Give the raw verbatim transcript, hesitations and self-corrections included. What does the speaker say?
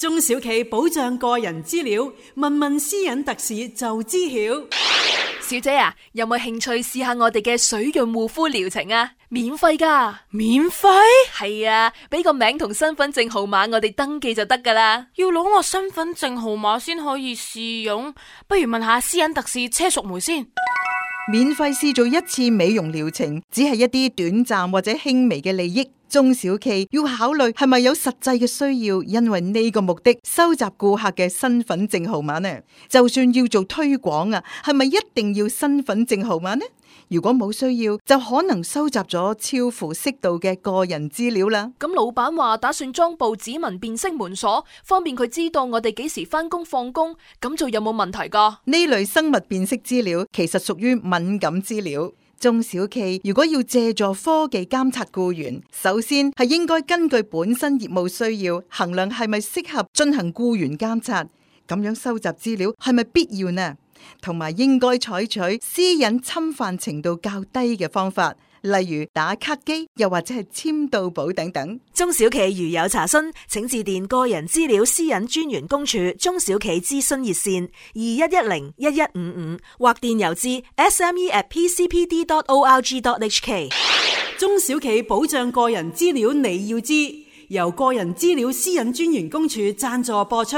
中小企保障個人資料，問問私隱特使就知曉。小姐啊，有冇興趣試下我哋嘅水潤護膚療程啊？免費噶。免費？係啊，俾個名同身份證號碼我哋登記就得噶啦。要攞我身份證號碼先可以試用，不如問下私隱特使車淑梅先。免費試做一次美容療程，只係一啲短暫或者輕微嘅利益。中小企要考慮係咪有實際嘅需要，因為呢個目的收集顧客嘅身份證號碼呢？就算要做推廣啊，係咪一定要身份證號碼呢？如果冇需要，就可能收集咗超乎適度嘅個人資料啦。咁老闆話打算裝部指紋辨識門鎖，方便佢知道我哋幾時返工放工，咁做有冇問題噶？呢類生物辨識資料其實屬於敏感資料。中小企如果要借助科技監察僱員，首先係應該根據本身業務需要，衡量係咪適合進行僱員監察，咁樣收集資料係咪必要呢？同埋應該採取私隱侵犯程度較低嘅方法，例如打卡機，又或者係簽到簿等等。中小企如有查詢，請致電個人資料私隱專員公署中小企諮詢熱線二一一零一一五五，或電郵至 s m e at p c p d dot org dot h k。 中小企保障個人資料你要知，由個人資料私隱專員公署贊助播出。